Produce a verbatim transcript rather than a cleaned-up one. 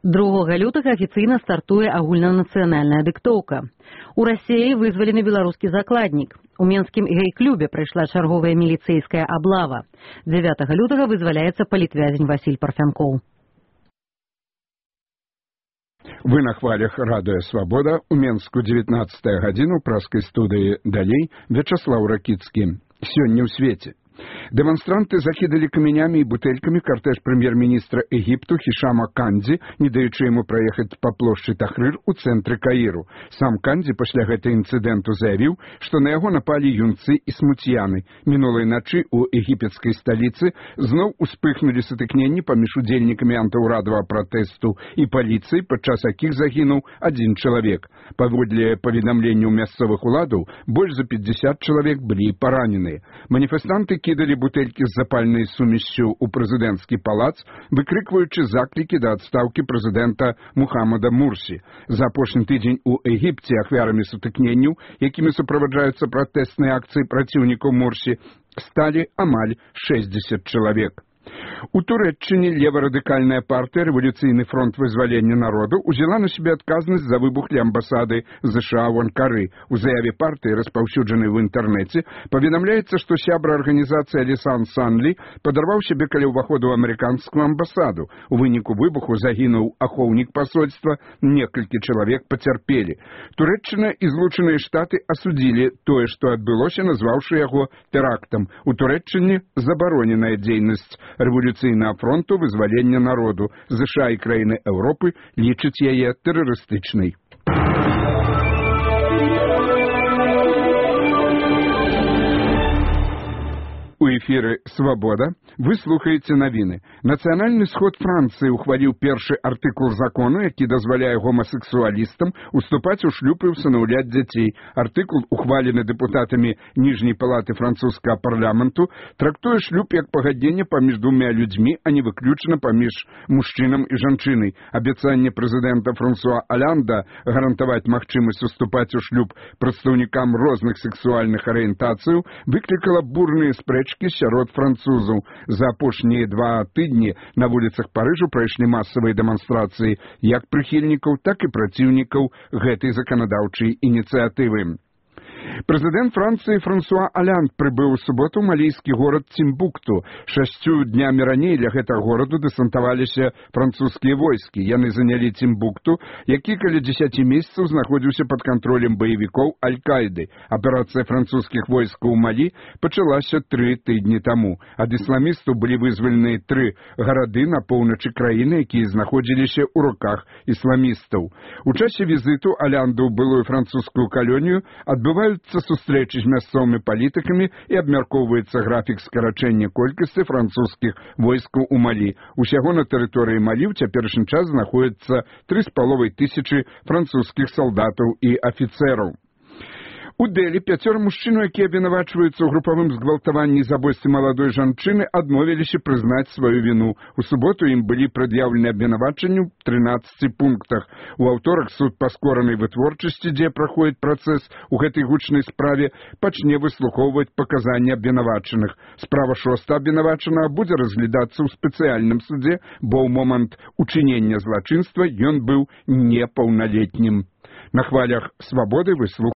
другога лютага афіцыйна стартуе агульнанацыянальная дыктоўка. У Расіі вызвалены беларускі закладнік. У менскім гей-клубе прайшла чарговая міліцэйская аблава. дзевятага лютага вызваляецца палітвязень Васіль Парфянкоў. Вы на хвалях радыё «Свабода». У Менску дзевятнаццатая гадзіна ў праскай студыі «Далей» Вячаслаў Ракіцкі. Сёння ў свеце. Дэманстранты закідалі камянямі і бутэлькамі картэж прэм'ер-міністра Егіпту Хішама Кандзі, не даючы яму праехаць па плошчы Тахрыр у цэнтры Каіру. Сам Кандзі пасля гэтага інцыдэнту заявіў, што на яго напалі юнцы і смуцьяны. Мінулай начы ў егіпецкай сталіцы зноў успыхнулі сутыкненні паміж удзельнікамі антыўрадавага пратэсту і паліцыі, падчас якіх загінуў адзін чалавек. Паводле паведамленняў мясцовых уладаў, больш за пятьдесят чалавек былі параненыя. Маніфестанты кідалі бутэлькі з запальнай сумессю ў прэзідэнцкі палац, выкрыкваючы заклікі да адстаўкі прэзідэнта Мухаммада Мурсі. За апошні тыдзень у Егіпце ахвярамі сутыкненняў, якімі суправаджаюцца пратэсныя акцыі праціўнікаў Мурсі, сталі амаль шэсцьдзесят чалавек. У Турэччыне леварадыкальная партыя «Рэвалюцыйны фронт вызвалення народу» узяла на сябе адказнасць за выбух ля амбасады ЗША ў Анкары. У заяве партыі, распаўсюджанай в інтэрнэце, паведамляецца, што сябра арганізацыі Алісан Санлі падарваў сябе каля ўваходу ў амерыканскую амбасаду. У выніку выбуху загінуў ахоўнік пасольства, некалькі чалавек пацярпелі. Турэччына і Злучаныя Штаты асудзілі тое, што адбылося, назваўшы яго тэрактам. У Турэччыне забароненая дзейнасць Рэвалюцыйнага фронту вызвалення народу. ЗША і краіны Еўропы лічаць яе тэрарыстычнай. У эфіры «Свабода» вы слухаеце навіны. Нацыянальны сход Францыі ухваліў першы артыкул закону, які дазваляе гомасексуалістам уступаць у шлюб і ўсынаўляць дзяцей. Артыкул, ухвалены дэпутатамі ніжняй палаты французскага парламенту, трактуе шлюб як пагадненне паміж двумя людзьмі, а не выключна паміж мужчынам і жанчынай. Абяцанне прэзідэнта Франсуа Алянда гарантаваць магчымасць уступаць у шлюб прадстаўнікам розных сексуальных арыентацыяў выклікала бурныя спрэчкі сярод французаў. За апошнія два тыдні на вуліцах Парыжу прайшлі масавыя дэманстрацыі як прыхільнікаў, так і праціўнікаў гэтай заканадаўчай ініцыятывы. Прэзідэнт Францыі Франсуа Алянд прыбыў у суботу ў малійскі горад Цімбукту. Шасцю днямі раней ля гэтага гораду дэсантаваліся французскія войскі. Яны занялі Цімбукту, які каля дзесяці месяцаў знаходзіўся пад кантролем баевікоў Аль-Каіды. Аперацыя французскіх войскаў у Малі пачалася тры тыдні таму. Ад ісламістаў былі вызваленыя тры гарады на поўначы краіны, якія знаходзіліся ў руках ісламістаў. У часе візіту Алянда ў былую французскую калонію адбываюцца сустрэчы з мясцовымі палітыкамі і абмяркоўваецца графік скарачэння колькасці французскіх войскаў у Малі. Усяго на тэрыторыі Малі ў цяперашні час знаходзіцца тры з паловай тысячы французскіх салдатаў і афіцэраў. У Дэлі пяцёра мужчынаў, якія абвінавачваюцца ў групавым згвалтаванні і забойстве маладой жанчыны, адмовіліся прызнаць сваю віну. У суботу ім былі прад'яўлены абвінавачанні ў трынаццаці пунктах. У аўторак суд па скоранай вытворчасці, дзе праходзіць працэс у гэтай гучнай справе, пачне выслухоўваць паказанні абвінавачаных. Справа шоста абвінавачанага будзе разглядацца ў спецыяльным судзе, бо ў момант учынення злачынства ён быў непаўналетнім. На хвалях «Свабоды» вы слухаеце